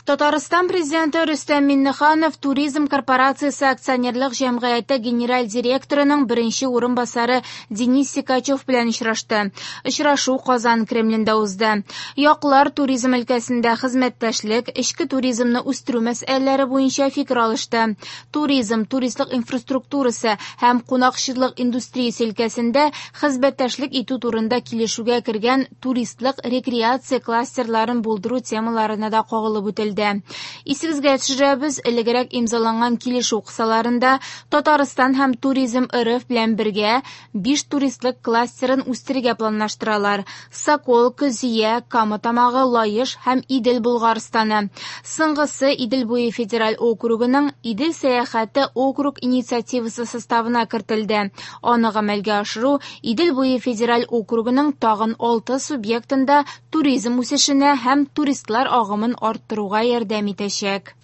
Татарстан Президенты Рөстәм Миңнеханов Туризм корпорациясе акционерлык җәмгыяте генераль директорының беренче урынбасары Денис Секачев белән очрашты. Очрашу Казан Кремлендә узды. Яклар туризм өлкәсендә хезмәттәшлек, эчке туризмны үстерү мәсьәләләре буенча фикер алышты. Туризм, туристлык инфраструктурасы һәм кунакчыллык индустриясе өлкәсендә хезмәттәшлек итү турында килешүгә кергән туристлык рекреация кластерларын булдыру темаларына да кагылып үтелде. Исегезгә төшерәбез, элегрәк имзаланган килешү кысаларында Татарстан һәм Туризм РФ белән бергә 5 туристлык кластерын үстерергә планлаштыралар. Соколка, Зөя, Кама Тамагы, Лаеш һәм Идел Болгарстаны. Соңгысы Идел буе федераль округының Идел сәяхәте округ инициативасы составына кертелде. Аны гамәлгә ашыру Идел буе федераль округының тагын 6 субъектында туризм үсешенә һәм туристлар агымын арттыруга ярдәм итәчәк.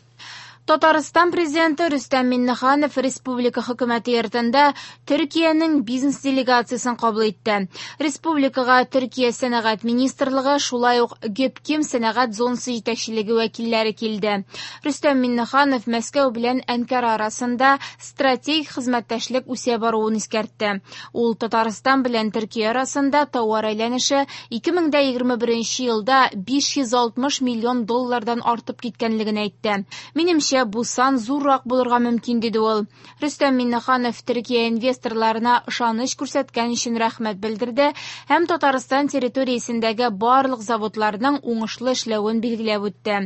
Татарстан Президенты Рөстәм Миңнеханов Республика хөкүмәте йортында Төркиянең бизнес делегациясен кабул итте. Республикага Төркия сәнәгать министрлыгы, шулай ук Гөпким сәнәгать зонасы җитәкчелеге вәкилләре килде. Рөстәм Миңнеханов Мәскәү белән Әнкара арасында стратегик хезмәттәшлек үсә баруын искәртте. Ул Татарстан белән Төркия арасында товар әйләнеше 2021 елда 560 миллион доллардан артып киткәнлеген әйтте. Минемчә, бу сан зуррак булырга мөмкин, диде ул. Рөстәм Миңнеханов Төркия инвесторларына ышаныч күрсәткән өчен рәхмәт белдерде һәм Татарстан территориясендәге барлык заводларның уңышлы эшләвен билгеләп үтте.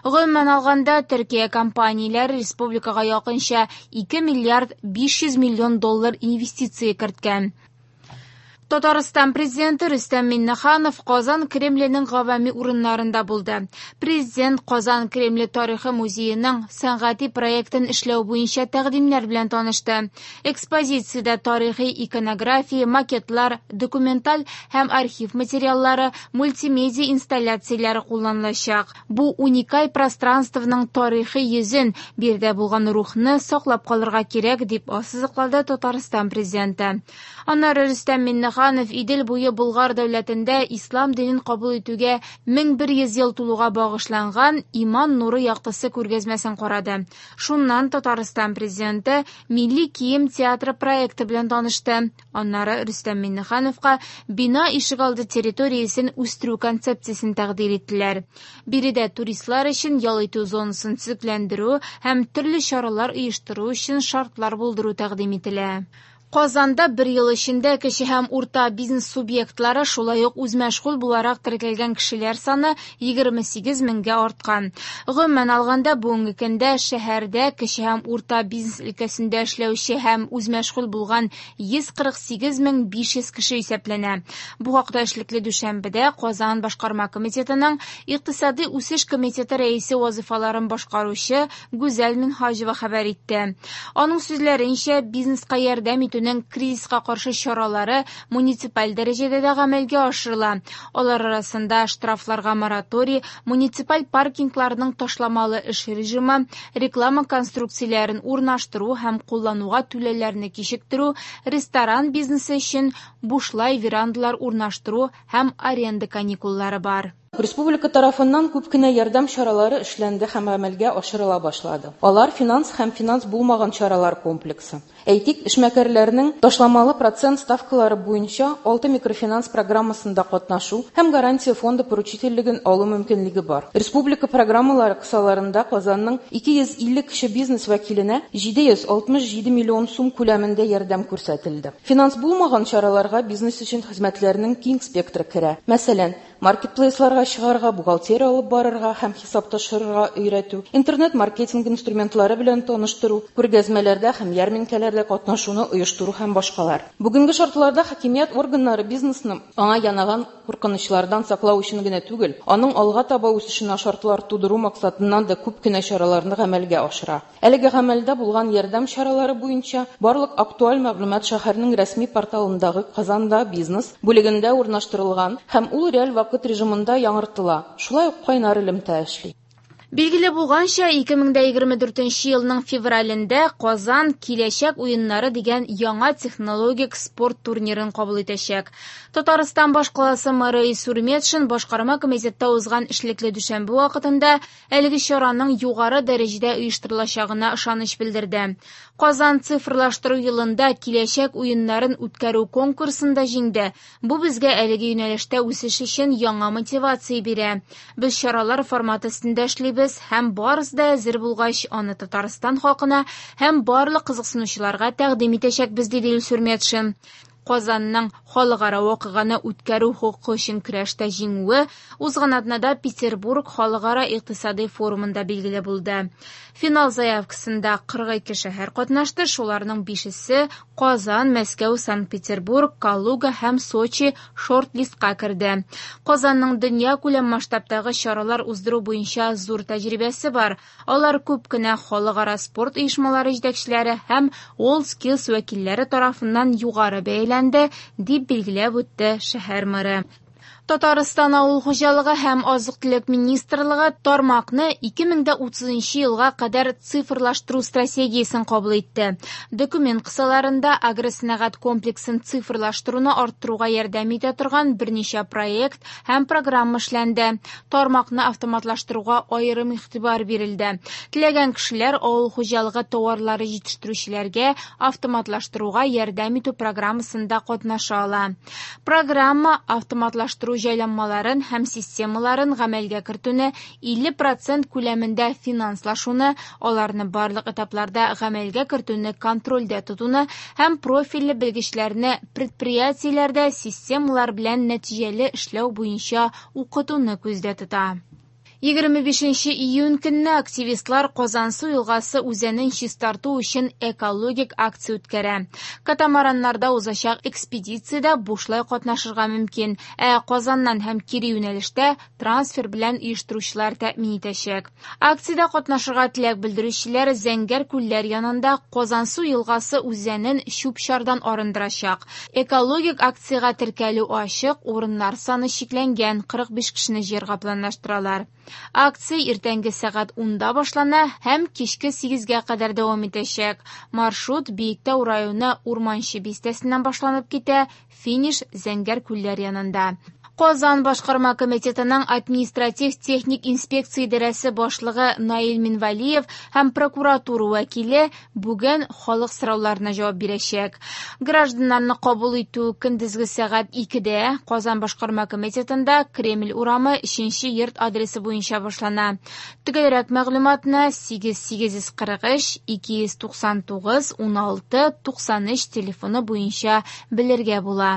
Гомумән алганда, Төркия компанияләре республикага якынча 2 миллиард 500 миллион доллар инвестиция керткән. Татарстан Президенты Рөстәм Миңнеханов Казан Кремленең гавами урыннарында булды. Президент Казан Кремле тарихы музееның сәнгати проектын эшләү буенча тәкъдимнәр белән танышты. Экспозициядә тарихи иконография, макетлар, документаль һәм архив материаллары, мультимедиа инсталляцияләре кулланылачак. Бу уникаль пространствоның тарихи йөзен, биредә булган рухны саклап калырга кирәк, дип ассызыклады Татарстан Президенты. Аннары Рөстәм Миңнеханов Идел буе Болгар дәүләтендә ислам динен кабул итүгә 1100 ел тулуга багышланган Иман нуры яктысы күргәзмәсен карады. Шуннан Татарстан Президенты Милли кием театры проекты белән танышты. Аннары Рөстәм Миңнехановка бина ишегалды территориясен үстерү концепциясен тәкъдир иттеләр. Биредә туристлар өчен ял итү зонасын төзекләндерү һәм төрле чаралар оештыру өчен шартлар булдыру тәкъдим ителә. Казанда бер ел эчендә кече һәм урта бизнес субъектлары, шулай ук үзмәшгуль буларак теркәлгән кешеләр саны 28 меңгә арткан. Гомумән алганда, бүгенге көндә шәһәрдә кече һәм урта бизнес өлкәсендә эшләүче һәм үзмәшгуль булган 148 мең 500 кеше исәпләнә. Бу хакта эшлекле дүшәмбедә Казан башкарма комитетының Икътисади үсеш комитеты рәисе вазифаларын башкаручы Гүзәл Минһаҗева хәбәр итте. Аның сүзләренчә, бизнеска ярдәм итүнең кризиска каршы чаралары муниципаль дәрәҗәдә дә гамәлгә ашырыла. Алар арасында штрафларга мораторий, муниципаль паркингларның ташламалы эш режимы, реклама конструкцияләрен урнаштыру һәм куллануга түләүләрне кичектерү, ресторан бизнесы өчен бушлай верандалар урнаштыру һәм аренда каникуллары бар. Республика тарафыннан күп кенә ярдәм чаралары эшләнде һәм гамәлгә ашырыла башлады. Алар финанс һәм финанс булмаган чаралар комплексы. Әйтик, эшмәкәрләрнең ташламалы процент ставкалары буенча 6 микрофинанс программасында катнашу һәм гарантия фонды поручительлеген алу мөмкинлеге бар. Республика программалары кысаларында Казанның 250 кеше бизнес вәкиленә 767 миллион сум күләмендә ярдәм күрсәтелде. Финанс булмаган чараларга бизнес өчен хезмәтләрнең киң спектры керә. Мәсәлән, маркетплейсларга чыгарга, бухгалтерия алып барырга һәм хисап тапшырырга өйрәтү, интернет-маркетинг инструментлары белән таныштыру, күргәзмәләрдә һәм ярминкәләрдә катнашуны оештыру һәм башкалар. Бүгенге шартларда хакимият органнары бизнесны аңа янаган куркынычлардан саклау өчен генә түгел, аның алга таба үсешенә шартлар тудыру максатыннан да күп кенә чараларны гамәлгә ашыра. Әлеге гамәлдә булган ярдәм чаралары буенча барлык актуаль мәгълүмат шәһәрнең рәсми порталындагы Казанда бизнес бүлегендә урнаштырылган һәм ул реаль вакыт режимында яңартыла. Шулай ук кайнар элемтә эшли. Билгеле булганча, 2024 елның февралендә Казан «Киләчәк уеннары» дигән яңа технологик спорт турнирын кабул итәчәк. Татарстан башкаласы мэры Илсур Метшин башкарма комитетта узган эшлекле дүшәмбе вакытында әлеге чараның югары дәрәҗәдә оештырылачагына ышаныч белдерде. Казан цифрлаштыру елында «Киләчәк уеннарын» үткәрү конкурсында җиңде. Бу безгә әлеге юнәлештә үсеш өчен яңа мотивация бирә. Без чаралар форматы өстендә эшлибез һәм барысы да әзер булгач, аны Татарстан халкына һәм барлык кызыксынучыларга тәкъдим итәчәкбез, диде Илсур Метшин. Казанның халыкара вакыйганы үткәрү хокукы өчен көрәштә җиңүе узган атнада Петербург халыкара икътисади форумында билгеле булды. Финал заявкасында 42 шәһәр катнашты, шуларның бишесе Казан, Мәскәү, Санкт-Петербург, Калуга һәм Сочи шорт-листка керде. Казанның дөньякүләм масштабтагы чаралар уздыру буенча зур тәҗрибәсе бар. Алар күп кенә халыкара спорт оешмалары җитәкчеләре һәм WorldSkills вәкилләре тарафыннан югары бәяләнде, дип билгеләп үтте шәһәр мэры. Татарстан авыл хуҗалыгы һәм азык-төлек министрлыгы тармакны 2030 елга кадәр цифрлаштыру стратегиясен кабул итте. Документ кысаларында агросәнәгать комплексын цифрлаштыруны арттыруга ярдәм итә торган берничә проект һәм программа эшләнде. Тармакны автоматлаштыруга аерым игътибар бирелде. Теләгән кешеләр авыл хуҗалыгы товарлары җитештерүчеләргә автоматлаштыруга ярдәм итү программасында катнаша ала. Программа автоматлаштыру җайланмаларын һәм системаларын гамәлгә кертүне 50% күләмендә финанслашуны, аларны барлык этапларда гамәлгә кертүне контрольдә тотуны һәм профильле белгечләрне предприятиеләрдә системалар белән нәтиҗәле эшләү буенча укытуны күздә тота. 25 июнь көнне активистлар Казансу елгасы үзәнен чистарту өчен экологик акция үткәрә. Катамараннарда узачак экспедициядә бушлай катнашырга мөмкин, ә Казаннан һәм кире юнәлештә трансфер белән оештыручылар тәэмин итәчәк. Акциядә катнашырга теләк белдерүчеләр Зәңгәр күлләр янында Казансу елгасы үзәнен чүп-чардан арындырачак. Экологик акциягә теркәлү ачык, урыннар саны чикләнгән, 45 кешене җыярга планлаштыралар. Акция иртәнге сәгать 10-да башлана һәм кичке 8-гә кадәр дәвам итәчәк. Маршрут Биектау районы Урманчы бистәсеннән башланып китә, финиш Зәңгәр күлләр янында. Казан башкарма комитетының административ техник инспекция идарәсе башлыгы Наил Минвалиев һәм прокуратура вәкиле бүген халык сорауларына җавап бирәчәк. Гражданнарны кабул итү көндезге сәгать 2-дә Казан башкарма комитетында Кремль урамы 3 йорт адресы буенча башлана. Төгәлрәк мәгълүматны 8843 299 16 93 телефоны буенча белергә була.